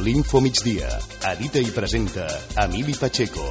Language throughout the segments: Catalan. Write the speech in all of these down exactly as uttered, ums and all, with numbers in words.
L'Info Migdia. Edita i presenta Emili Pacheco.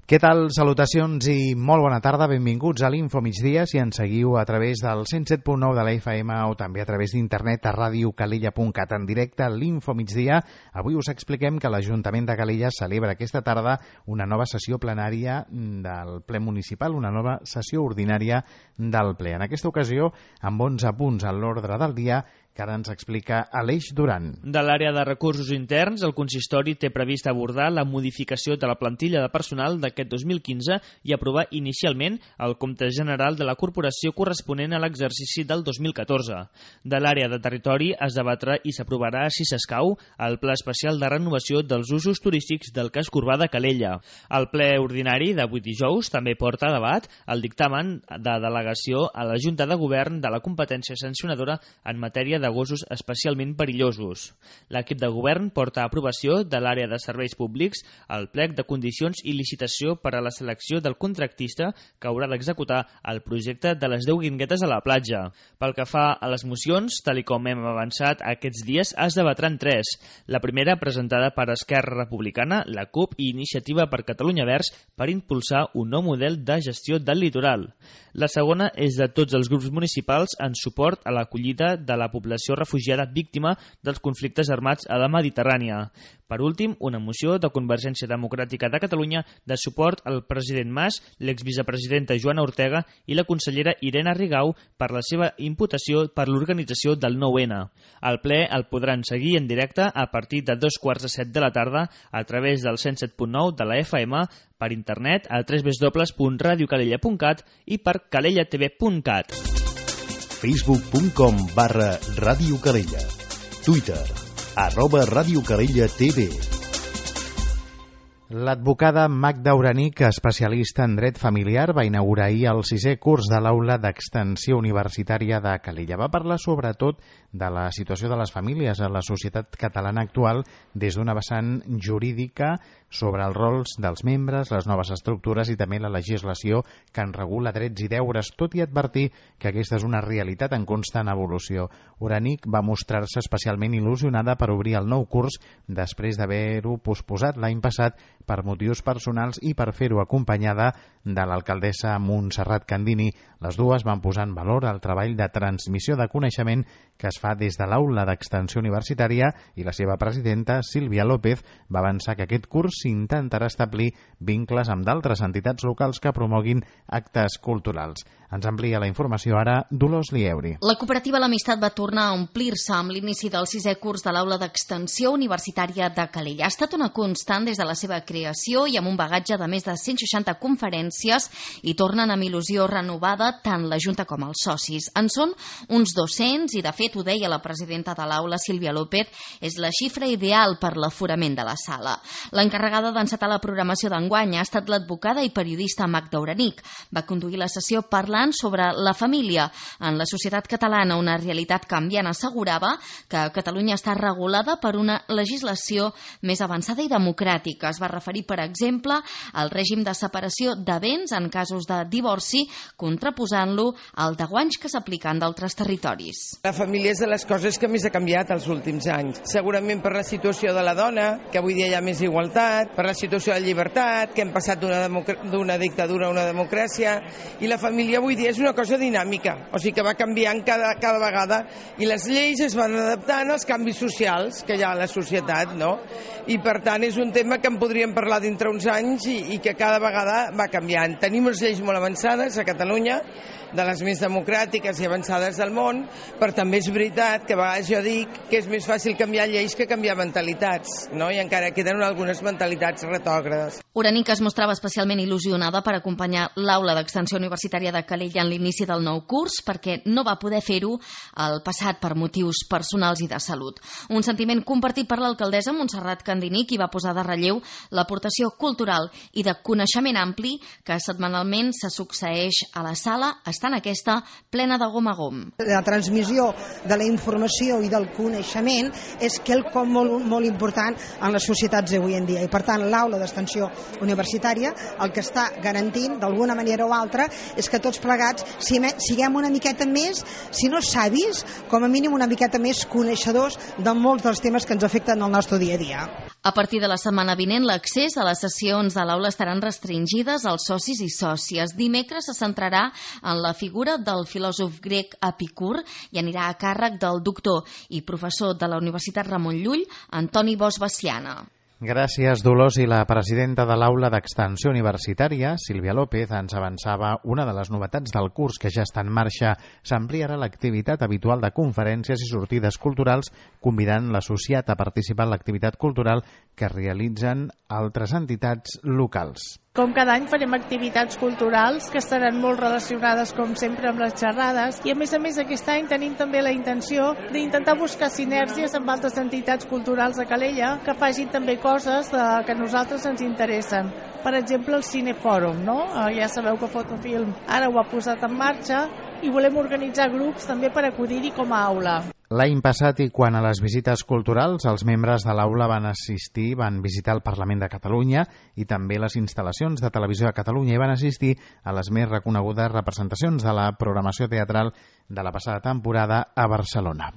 Què tal? Salutacions i molt bona tarda. Benvinguts a l'Info Migdia. Si ens seguiu a través del cent set punt nou de la F M o també a través d'internet a ràdio calella punt cat en directe a l'Info Migdia, avui us expliquem que l'Ajuntament de Calella celebra aquesta tarda una nova sessió plenària del ple municipal, una nova sessió ordinària del ple. En aquesta ocasió, amb onze punts en l'ordre del dia, que ara ens explica Aleix Duran. De l'àrea de recursos interns, el consistori té previst abordar la modificació de la plantilla de personal d'aquest dos mil quinze i aprovar inicialment el compte general de la corporació corresponent a l'exercici del dos mil catorze. De l'àrea de territori es debatrà i s'aprovarà, si s'escau, el pla especial de renovació dels usos turístics del casc urbà de Calella. El ple ordinari d'avui dijous també porta a debat el dictamen de delegació a la Junta de Govern de la competència sancionadora en matèria de gossos especialment perillosos. L'equip de govern porta a aprovació de l'àrea de serveis públics el plec de condicions i licitació per a la selecció del contractista que haurà d'executar el projecte de les deu guinguetes a la platja. Pel que fa a les mocions, tal i com hem avançat aquests dies, es debatran tres. La primera, presentada per Esquerra Republicana, la CUP i Iniciativa per Catalunya Verds per impulsar un nou model de gestió del litoral. La segona és de tots els grups municipals en suport a l'acollida de la població refugiada víctima dels conflictes armats a la Mediterrània. Per últim, una moció de Convergència Democràtica de Catalunya de suport al president Mas, l'exvicepresidenta Joana Ortega i la consellera Irene Rigau per la seva imputació per l'organització del nou ene. El ple el podran seguir en directe a partir de dos quarts de set de la tarda a través del cent set punt nou de la F M, per internet a w w w punt radio calella punt cat i per calella t v punt cat. facebook punt com barra Ràdio Calella. Twitter, arroba Ràdio Calella T V. L'advocada Magda Uranic, especialista en dret familiar, va inaugurar ahir el sisè curs de l'Aula d'Extensió Universitària de Calella. Va parlar sobretot de la situació de les famílies a la societat catalana actual des d'una vessant jurídica sobre els rols dels membres, les noves estructures i també la legislació que en regula drets i deures, tot i advertir que aquesta és una realitat en constant evolució. Uranic va mostrar-se especialment il·lusionada per obrir el nou curs després d'haver-ho posposat l'any passat per motius personals i per fer-ho acompanyada de l'alcaldessa Montserrat Candini. Les dues van posar en valor el treball de transmissió de coneixement que es fa des de l'Aula d'Extensió Universitària i la seva presidenta, Sílvia López, va avançar que aquest curs s'intentarà establir vincles amb d'altres entitats locals que promoguin actes culturals. Ens amplia la informació ara Dolors Lieuri. La cooperativa L'Amistat va tornar a omplir-se amb l'inici del sisè curs de l'Aula d'Extensió Universitària de Calella. Ha estat una constant des de la seva creació i amb un bagatge de més de cent seixanta conferències i tornen amb il·lusió renovada tant la Junta com els socis. En són uns dos-cents i, de fet, ho deia la presidenta de l'aula, Sílvia López, és la xifra ideal per l'aforament de la sala. L'encarregada d'encetar la programació d'enguany ha estat l'advocada i periodista Magda Uranic. Va conduir la sessió parlant sobre la família. En la societat catalana, una realitat canviant, assegurava que Catalunya està regulada per una legislació més avançada i democràtica. Es va referir, per exemple, al règim de separació de béns en casos de divorci, contraposant-lo al de guanys que s'apliquen d'altres territoris. La família és de les coses que més ha canviat els últims anys. Segurament per la situació de la dona, que avui dia hi ha més igualtat, per la situació de llibertat, que hem passat d'una d'una dictadura a una democràcia, i la família avui dia és una cosa dinàmica, o sigui que va canviant cada, cada vegada, i les lleis es van adaptant als canvis socials que hi ha a la societat, no? I per tant és un tema que en podríem parlar dintre uns anys i, i que cada vegada va canviant. Tenim unes lleis molt avançades a Catalunya, de les més democràtiques i avançades del món, però també és veritat que a vegades jo dic que és més fàcil canviar lleis que canviar mentalitats, no? I encara queden algunes mentalitats retògrades. Uranic es mostrava especialment il·lusionada per acompanyar l'Aula d'Extensió Universitària de Calella en l'inici del nou curs perquè no va poder fer-ho el passat per motius personals i de salut. Un sentiment compartit per l'alcaldessa Montserrat Candini, qui va posar de relleu l'aportació cultural i de coneixement ampli que setmanalment se succeeix a la sala, estant aquesta plena de gom a gom. La transmissió de la informació i del coneixement és quelcom molt, molt important en les societats d'avui en dia i per Per tant, l'aula d'extensió universitària el que està garantint, d'alguna manera o altra, és que tots plegats siguem una miqueta més, si no savis, com a mínim una miqueta més coneixedors de molts dels temes que ens afecten al nostre dia a dia. A partir de la setmana vinent, l'accés a les sessions de l'aula estaran restringides als socis i sòcies. Dimecres se centrarà en la figura del filòsof grec Epicur i anirà a càrrec del doctor i professor de la Universitat Ramon Llull, Antoni Bosch Veciana. Gràcies, Dolors. I la presidenta de l'Aula d'Extensió Universitària, Sílvia López, ens avançava una de les novetats del curs que ja està en marxa. S'ampliarà l'activitat habitual de conferències i sortides culturals, convidant l'associat a participar en l'activitat cultural que realitzen altres entitats locals. Com cada any farem activitats culturals que estaran molt relacionades, com sempre, amb les xerrades, i a més a més aquest any tenim també la intenció d'intentar buscar sinergies amb altres entitats culturals de Calella que facin també coses de, que a nosaltres ens interessen. Per exemple, el Cinefòrum, no? Ja sabeu que Fotofilm ara ho ha posat en marxa i volem organitzar grups també per acudir-hi com a aula. L'any passat, i quan a les visites culturals, els membres de l'aula van assistir, van visitar el Parlament de Catalunya i també les instal·lacions de Televisió de Catalunya i van assistir a les més reconegudes representacions de la programació teatral de la passada temporada a Barcelona.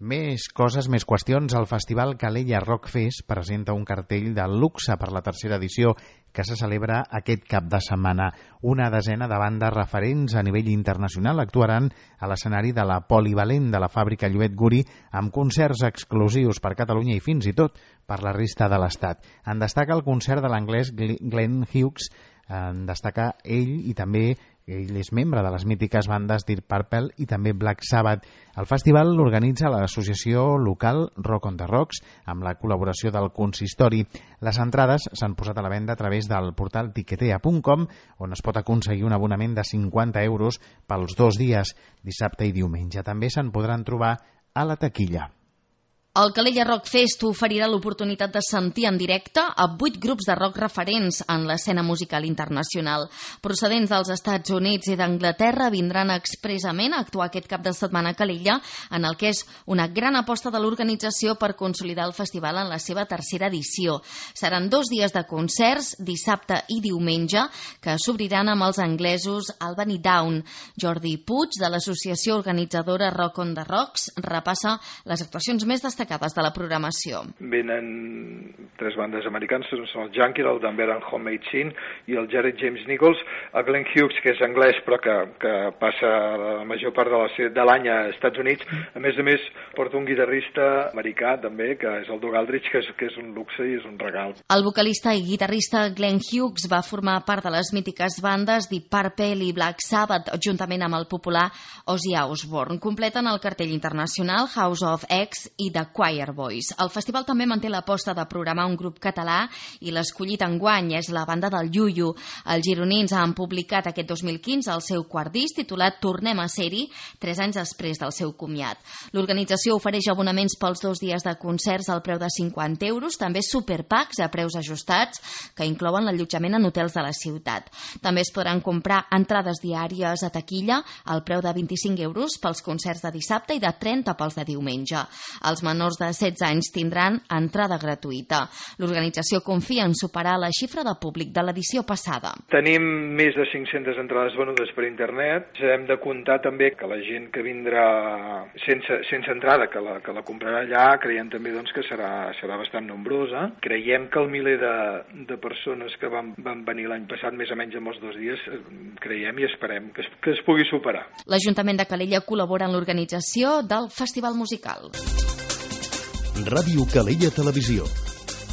Més coses, més qüestions. El Festival Calella Rock Fest presenta un cartell de luxe per la tercera edició que se celebra aquest cap de setmana. Una desena de bandes referents a nivell internacional actuaran a l'escenari de la Polivalent de la fàbrica Lluet Guri amb concerts exclusius per Catalunya i fins i tot per la resta de l'Estat. En destaca el concert de l'anglès Glenn Hughes, en destaca ell i també ell és membre de les mítiques bandes Deep Purple i també Black Sabbath. El festival l'organitza l'associació local Rock on the Rocks amb la col·laboració del consistori. Les entrades s'han posat a la venda a través del portal tiquetea punt com, on es pot aconseguir un abonament de cinquanta euros pels dos dies, dissabte i diumenge. També se'n podran trobar a la taquilla. El Calella Rock Fest oferirà l'oportunitat de sentir en directe a vuit grups de rock referents en l'escena musical internacional. Procedents dels Estats Units i d'Anglaterra vindran expressament a actuar aquest cap de setmana a Calella, en el que és una gran aposta de l'organització per consolidar el festival en la seva tercera edició. Seran dos dies de concerts, dissabte i diumenge, que s'obriran amb els anglesos Albany Down. Jordi Puig, de l'associació organitzadora Rock on the Rocks, repassa les actuacions més destacades de la programació. Venen tres bandes americanes, són el Junkie, el Denver and Homemade Scene i el Jared James Nichols, el Glenn Hughes, que és anglès però que, que passa la major part de, la, de l'any a Estats Units. A més a més, porta un guitarrista americà també, que és el Doug Aldrich, que és, que és un luxe i és un regal. El vocalista i guitarrista Glenn Hughes va formar part de les mítiques bandes Deep Purple i Black Sabbath, juntament amb el popular Ozzy Osbourne. Completen el cartell internacional House of X i The Choir Boys. El festival també manté l'aposta de programar un grup català i l'escollit enguany és la banda del Yuyu. Els gironins han publicat aquest dos mil quinze el seu quart disc titulat Tornem a ser-hi, tres anys després del seu comiat. L'organització ofereix abonaments pels dos dies de concerts al preu de cinquanta euros, també superpacks a preus ajustats que inclouen l'allotjament en hotels de la ciutat. També es podran comprar entrades diàries a taquilla al preu de vint-i-cinc euros pels concerts de dissabte i de trenta pels de diumenge. Els menors de setze anys tindran entrada gratuïta. L'organització confia en superar la xifra de públic de l'edició passada. Tenim més de cinc-centes entrades venudes per internet. Hem de comptar també que la gent que vindrà sense, sense entrada, que la, que la comprarà allà, creiem també doncs, que serà, serà bastant nombrosa. Creiem que el miler de, de persones que van, van venir l'any passat, més o menys en els dos dies, creiem i esperem que es, que es pugui superar. L'Ajuntament de Calella col·labora en l'organització del Festival Musical. Ràdio Calella Televisió,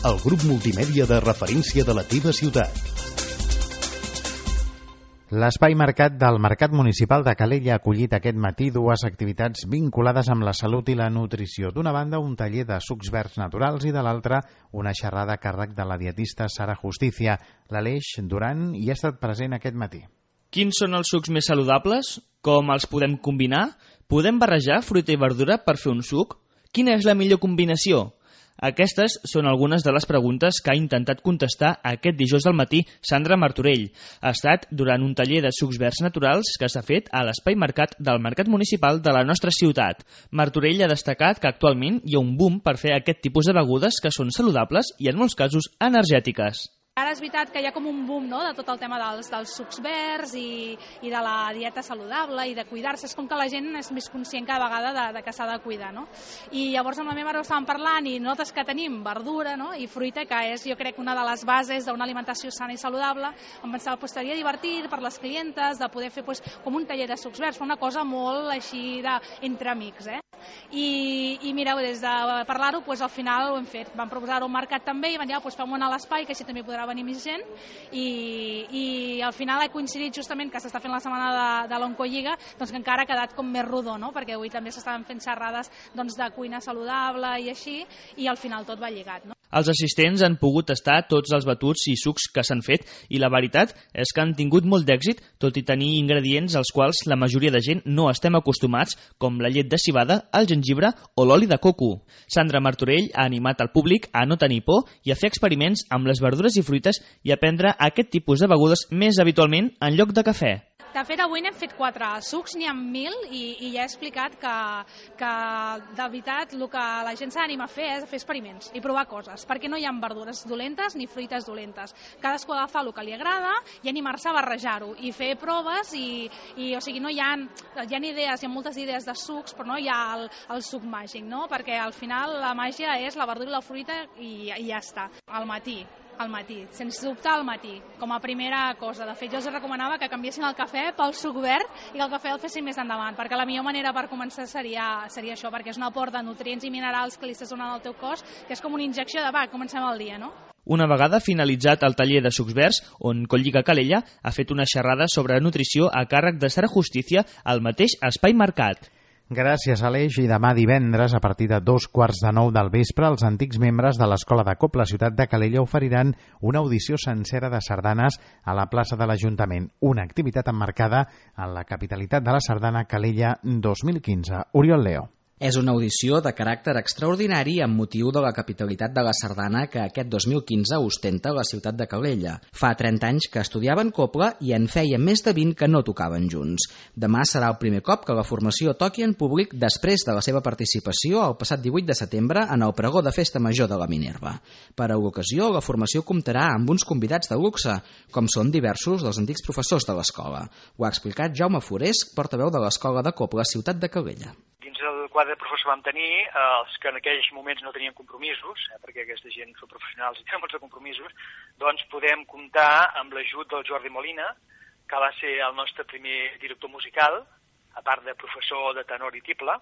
el grup multimèdia de referència de la teva ciutat. L'espai mercat del Mercat Municipal de Calella ha acollit aquest matí dues activitats vinculades amb la salut i la nutrició. D'una banda, un taller de sucs verds naturals i de l'altra, una xerrada a càrrec de la dietista Sara Justicia. L'Aleix Duran hi ha estat present aquest matí. Quins són els sucs més saludables? Com els podem combinar? Podem barrejar fruita i verdura per fer un suc? Quina és la millor combinació? Aquestes són algunes de les preguntes que ha intentat contestar aquest dijous al matí Sandra Martorell. Ha estat durant un taller de sucs verds naturals que s'ha fet a l'Espai Mercat del Mercat Municipal de la nostra ciutat. Martorell ha destacat que actualment hi ha un boom per fer aquest tipus de begudes que són saludables i en molts casos energètiques. Ara és veritat que hi ha com un boom, no?, de tot el tema dels, dels sucs verds i, i de la dieta saludable i de cuidar-se. És com que la gent és més conscient cada vegada de, de que s'ha de cuidar, no? I llavors amb la meva mare ho estàvem parlant i nosaltres que tenim verdura, no?, i fruita, que és, jo crec, una de les bases d'una alimentació sana i saludable, em pensava que pues, seria divertit per les clientes de poder fer pues, com un taller de sucs verds, una cosa molt així de, entre amics, eh? I, i mireu, des de parlar-ho, pues, al final ho hem fet. Vam proposar-ho al mercat també i van dir, ah, pues, fem-ho a l'espai, que així també podrà venir més gent, i, i al final ha coincidit justament que s'està fent la setmana de, de l'Oncolliga, doncs que encara ha quedat com més rodó, no?, perquè avui també s'estaven fent xerrades doncs, de cuina saludable i així, i al final tot va lligat, no? Els assistents han pogut tastar tots els batuts i sucs que s'han fet i la veritat és que han tingut molt d'èxit, tot i tenir ingredients als quals la majoria de gent no estem acostumats, com la llet de civada, el gengibre o l'oli de coco. Sandra Martorell ha animat el públic a no tenir por i a fer experiments amb les verdures i fruites i a prendre aquest tipus de begudes més habitualment en lloc de cafè. De fet, avui n'hem fet quatre sucs, n'hi ha mil, i, i ja he explicat que, que de veritat el que la gent s'ha d'animar a fer és fer experiments i provar coses, perquè no hi ha verdures dolentes ni fruites dolentes. Cadascú ha d'agafar el que li agrada i animar-se a barrejar-ho i fer proves i, i o sigui, no hi ha, hi ha idees, hi ha moltes idees de sucs, però no hi ha el, el suc màgic, no? Perquè al final la màgia és la verdura i la fruita i, i ja està, al matí. Al matí, sense dubte al matí, com a primera cosa. De fet, jo els recomanava que canviessin el cafè pel suc verd i que el cafè el fessin més endavant, perquè la millor manera per començar seria, seria això, perquè és un aport de nutrients i minerals que li estàs donant al teu cos, que és com una injecció de, va, comencem el dia, no? Una vegada finalitzat el taller de sucs verds, on Colliga Calella ha fet una xerrada sobre nutrició a càrrec de Sara Justícia al mateix Espai Mercat. Gràcies, Aleix. I demà divendres, a partir de dos quarts de nou del vespre, els antics membres de l'Escola de Cop, la ciutat de Calella, oferiran una audició sencera de sardanes a la plaça de l'Ajuntament. Una activitat emmarcada en la capitalitat de la sardana Calella dos mil quinze. Oriol Leo. És una audició de caràcter extraordinari amb motiu de la capitalitat de la sardana que aquest dos mil quinze ostenta la ciutat de Calella. Fa trenta anys que estudiaven cobla i en feia més de vint que no tocaven junts. Demà serà el primer cop que la formació toqui en públic després de la seva participació el passat divuit de setembre en el pregó de Festa Major de la Minerva. Per a l'ocasió, la formació comptarà amb uns convidats de luxe, com són diversos dels antics professors de l'escola. Ho ha explicat Jaume Forés, portaveu de l'Escola de Cobla, ciutat de Calella. El quadre de professor vam tenir eh, els que en aquells moments no tenien compromisos, eh, perquè aquesta gent són professionals i tenen molts de compromisos, doncs podem comptar amb l'ajut del Jordi Molina, que va ser el nostre primer director musical, a part de professor de tenor i tible,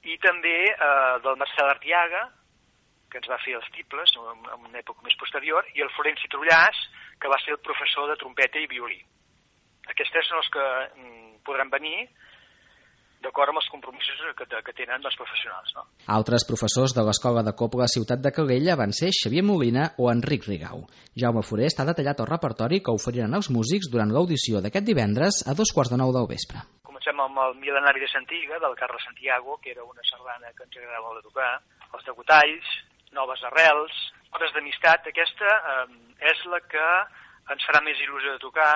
i també eh, del Marcel Artiaga, que ens va fer els tibles en, en una època més posterior, i el Florenci Trullàs, que va ser el professor de trompeta i violí. Aquests tres són els que mm, podran venir d'acord amb els compromisos que, que tenen els professionals. No? Altres professors de l'Escola de Cobla Ciutat de Calella van ser Xavier Molina o Enric Rigau. Jaume Forest ha detallat el repertori que oferiran els músics durant l'audició d'aquest divendres a dos quarts de nou del vespre. Comencem amb el Mil·lenari de Santiga, del Carles Santiago, que era una sardana que ens agradava molt de tocar, els degotalls, Noves Arrels, Hores d'Amistat. Aquesta eh, és la que ens farà més il·lusió de tocar,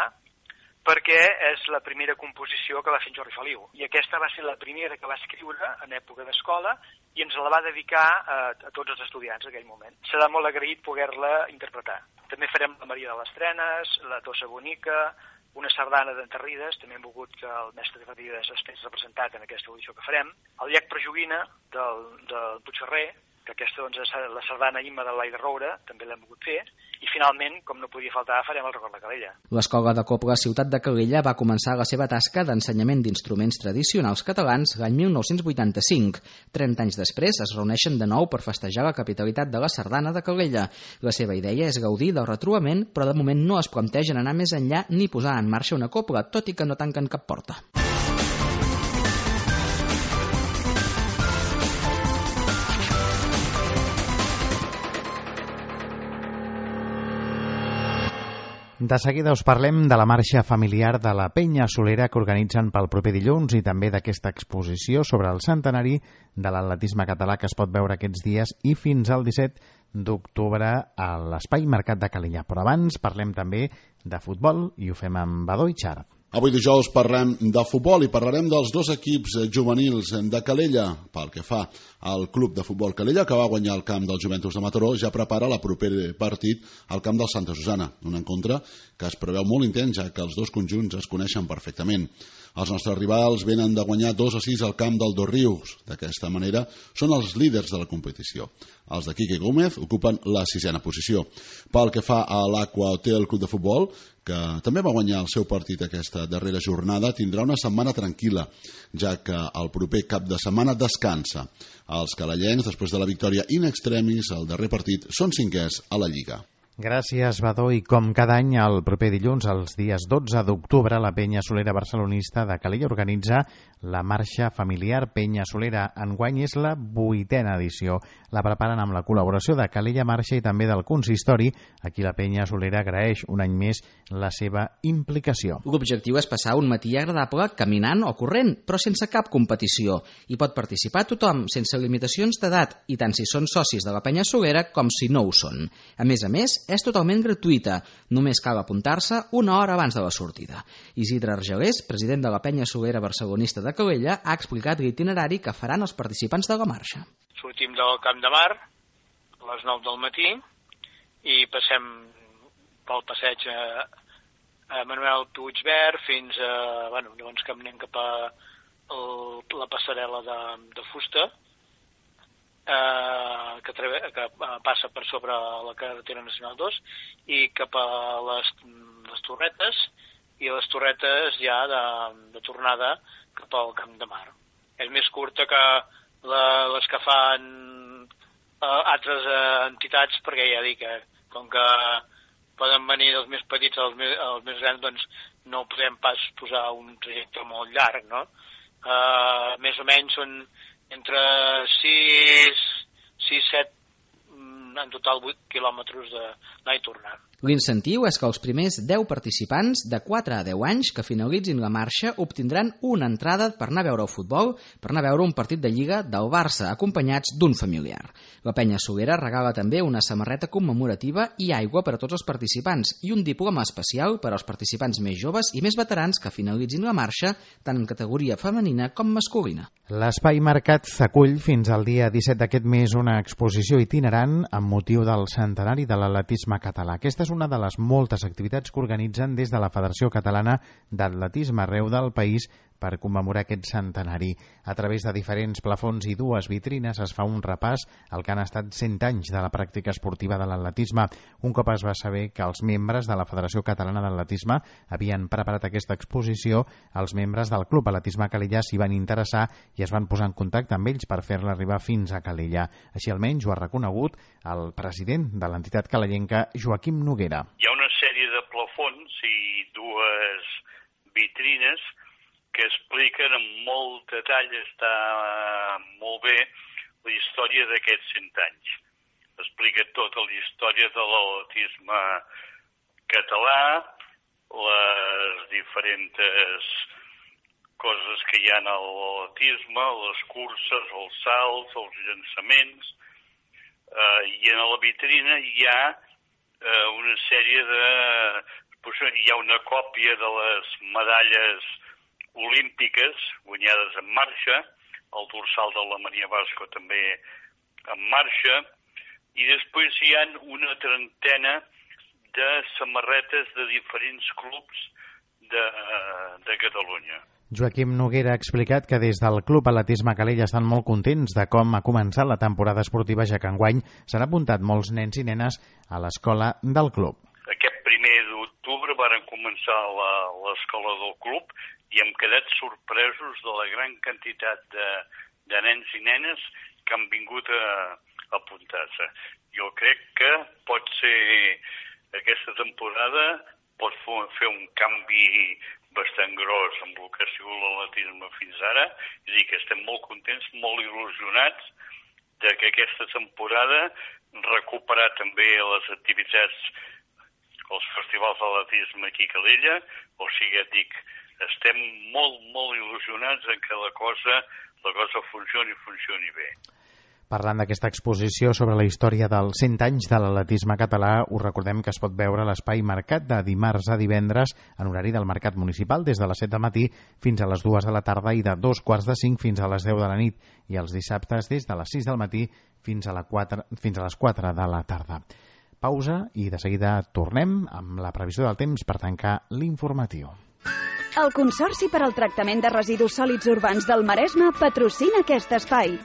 perquè és la primera composició que va fer en Jordi Feliu. I aquesta va ser la primera que va escriure en època d'escola i ens la va dedicar a, a tots els estudiants en aquell moment. Serà molt agraït poder-la interpretar. També farem la Maria de les Trenes, la Tossa Bonica, una sardana d'Enterrides, també hem volgut que el mestre de Enterrides estigués representat en aquesta audició que farem. El Llac Prejoguina, del, del Puigferrer, que aquesta doncs, és la sardana Imma de l'Aire Roure, també l'hem volgut fer, i finalment, com no podia faltar, farem el Record de Calella. L'Escola de Cobla Ciutat de Calella va començar la seva tasca d'ensenyament d'instruments tradicionals catalans l'any mil nou-cents vuitanta-cinc. trenta anys després es reuneixen de nou per festejar la capitalitat de la sardana de Calella. La seva idea és gaudir del retrobament, però de moment no es plantegen anar més enllà ni posar en marxa una cobla, tot i que no tanquen cap porta. De seguida us parlem de la marxa familiar de la Penya Solera que organitzen pel proper dilluns i també d'aquesta exposició sobre el centenari de l'atletisme català que es pot veure aquests dies i fins al disset d'octubre a l'Espai Mercat de Calella. Però abans parlem també de futbol i ho fem amb Badó i Xart. Avui dijous parlem de futbol i parlarem dels dos equips juvenils de Calella. Pel que fa al club de futbol Calella, que va guanyar el camp del Joventus de Mataró, ja prepara el proper partit al camp del Santa Susana, un encontre que es preveu molt intens, ja que els dos conjunts es coneixen perfectament. Els nostres rivals venen de guanyar dos a sis al camp del Dosrius. D'aquesta manera, són els líders de la competició. Els de Quique Gómez ocupen la sisena posició. Pel que fa a l'Aqua Hotel Club de Futbol, que també va guanyar el seu partit aquesta darrera jornada, tindrà una setmana tranquil·la, ja que el proper cap de setmana descansa. Els calellencs, després de la victòria in extremis, el darrer partit, són cinquers a la Lliga. Gràcies, Badó. I com cada any, el proper dilluns, els dies dotze d'octubre, la Penya Solera Barcelonista de Calella organitza la marxa familiar Penya Solera. Enguany és la vuitena edició. La preparen amb la col·laboració de Calella Marxa i també del consistori. Aquí la Penya Solera agraeix un any més la seva implicació. L'objectiu és passar un matí agradable caminant o corrent, però sense cap competició. Hi pot participar tothom, sense limitacions d'edat, i tant si són socis de la Penya Solera com si no ho són. A més a més, és totalment gratuïta. Només cal apuntar-se una hora abans de la sortida. Isidre Argelés, president de la Penya Solera Barcelonista de Calella, ha explicat l'itinerari que faran els participants de la marxa. Sortim del Camp de Mar a les nou del matí i passem pel passeig a, a Manuel Puigverd fins a... Bueno, llavors caminem cap a el, la passarel·la de, de fusta, Eh, que, treve, que passa per sobre la carretera nacional dos i cap a les, les Torretes i les Torretes ja de, de tornada cap al Camp de Mar. És més curta que la, les que fan eh, altres eh, entitats, perquè ja dic que com que poden venir dels més petits als més, als més grans, doncs no podem pas posar un trajecte molt llarg, no? Eh, més o menys són entre sis, set, en total vuit quilòmetres d'anar i tornar. L'incentiu és que els primers deu participants de quatre a deu anys que finalitzin la marxa obtindran una entrada per anar a veure el futbol, per anar a veure un partit de Lliga del Barça, acompanyats d'un familiar. La Penya Solera regala també una samarreta commemorativa i aigua per a tots els participants i un diploma especial per als participants més joves i més veterans que finalitzin la marxa, tant en categoria femenina com masculina. L'Espai Mercat acull fins al dia disset d'aquest mes una exposició itinerant amb motiu del centenari de l'atletisme català. Aquesta és una de les moltes activitats que organitzen des de la Federació Catalana d'Atletisme arreu del país per commemorar aquest centenari. A través de diferents plafons i dues vitrines es fa un repàs al que han estat cent anys de la pràctica esportiva de l'atletisme. Un cop es va saber que els membres de la Federació Catalana d'Atletisme havien preparat aquesta exposició, els membres del Club Atletisme Calella s'hi van interessar i es van posar en contacte amb ells per fer-la arribar fins a Calella. Així almenys ho ha reconegut el president de l'entitat calellenca, Joaquim Noguera. Hi ha una sèrie de plafons i dues vitrines que expliquen amb molt detall, està molt bé, la història d'aquests cent anys. Explica tota la història de l'atletisme català, les diferents coses que hi ha a l'atletisme, les curses, els salts, els llançaments, eh, i en la vitrina hi ha eh, una sèrie de... Hi ha una còpia de les medalles olímpiques guanyades en marxa, el dorsal de la Maria Vasco també en marxa, i després hi ha una trentena de samarretes de diferents clubs de, de Catalunya. Joaquim Noguera ha explicat que des del Club Atletisme Calella estan molt contents de com ha començat la temporada esportiva, ja que enguany s'han apuntat molts nens i nenes a l'escola del club. Aquest primer d'octubre varen començar l'escola del club i hem quedat sorpresos de la gran quantitat de, de nens i nenes que han vingut a, a apuntar-se. Jo crec que pot ser aquesta temporada pot fer un canvi bastant gros amb el que ha sigut l'atletisme fins ara. És a dir, que estem molt contents, molt il·lusionats de que aquesta temporada recuperar també les activitats els festivals d'atletisme aquí a Calella, o sigui, et dic, estem molt, molt il·lusionats en que la cosa, la cosa funcioni i funcioni bé. Parlant d'aquesta exposició sobre la història dels cent anys de l'atletisme català, us recordem que es pot veure a l'Espai Mercat de dimarts a divendres en horari del Mercat Municipal des de les set del matí fins a les dues de la tarda i de dos quarts de cinc fins a les deu de la nit, i els dissabtes des de les sis del matí fins a, la quatre, fins a les quatre de la tarda. Pausa i de seguida tornem amb la previsió del temps per tancar l'informatiu. El Consorci per al Tractament de Residus Sòlids Urbans del Maresme patrocina aquest espai.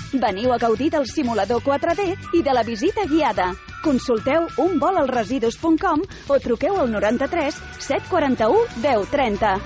Veniu a gaudir del simulador quatre D i de la visita guiada. Consulteu un vol als residus punt com o truqueu al noranta-tres set quaranta-u deu trenta.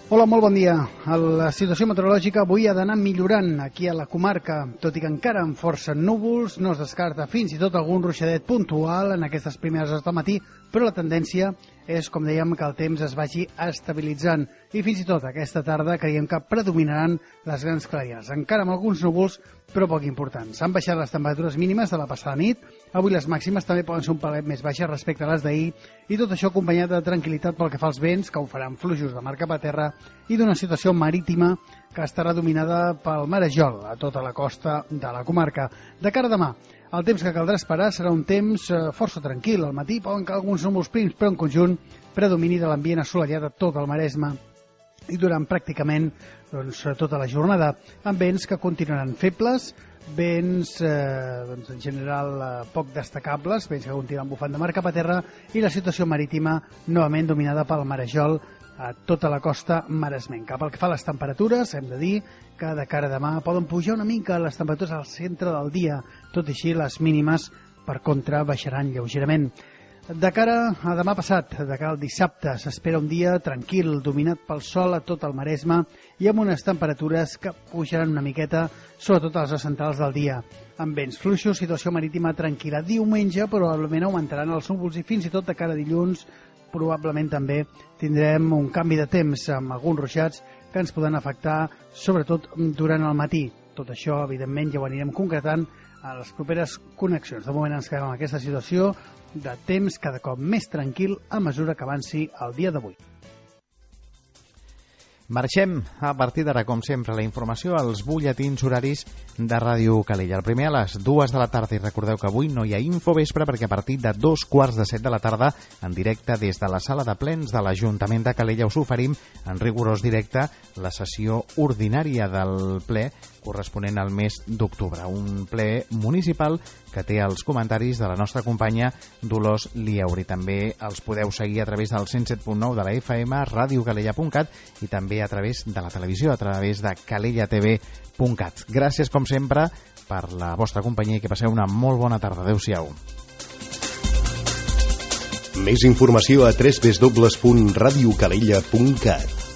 Hola, molt bon dia. La situació meteorològica avui ha d'anar millorant aquí a la comarca, tot i que encara amb força núvols, no es descarta fins i tot algun ruixadet puntual en aquestes primeres hores del matí, però la tendència és, com dèiem, que el temps es vagi estabilitzant i fins i tot aquesta tarda creiem que predominaran les grans clarianes, encara amb alguns núvols, però poc importants. Han baixat les temperatures mínimes de la passada nit, avui les màximes també poden ser un palet més baixes respecte a les d'ahir, i tot això acompanyat de tranquil·litat pel que fa als vents, que ho faran fluixos de mar cap a terra, i d'una situació marítima que estarà dominada pel marejol a tota la costa de la comarca. De cara a demà, el temps que caldrà esperar serà un temps força tranquil. Al matí poden caure alguns núvols prims, però en conjunt predomini de l'ambient assolellat a tot el Maresme i durant pràcticament doncs, tota la jornada, amb vents que continuaran febles, vents eh, doncs, en general eh, poc destacables, vents que continuen bufant de mar cap a terra, i la situació marítima novament dominada pel marejol a tota la costa maresmenca. Pel que fa a les temperatures, hem de dir que de cara a demà poden pujar una mica les temperatures al centre del dia, tot i així les mínimes, per contra, baixaran lleugerament. De cara a demà passat, de cara al dissabte, s'espera un dia tranquil, dominat pel sol a tot el Maresme i amb unes temperatures que pujaran una miqueta, sobretot a les hores centrals del dia. Amb vents fluixos, situació marítima tranquil·la. Diumenge probablement augmentaran els núvols i fins i tot de cara a dilluns probablement també tindrem un canvi de temps amb alguns ruixats que ens poden afectar sobretot durant el matí. Tot això, evidentment, ja ho anirem concretant a les properes connexions. De moment ens quedem en aquesta situació de temps cada cop més tranquil a mesura que avanci el dia d'avui. Marxem a partir d'ara, com sempre, la informació als butlletins horaris de Ràdio Calella. El primer a les dues de la tarda, i recordeu que avui no hi ha infovespre perquè a partir de dos quarts de set de la tarda, en directe des de la sala de plens de l'Ajuntament de Calella, us oferim en rigorós directe la sessió ordinària del ple corresponent al mes d'octubre. Un ple municipal que té els comentaris de la nostra companya Dolors Lieuri. També els podeu seguir a través del cent set punt nou de la F M, radiocalella punt cat, i també a través de la televisió, a través de calella t v punt cat. Gràcies, com sempre, per la vostra companyia i que passeu una molt bona tarda. Adéu-siau. Més informació a w w w punt radiocalella punt cat.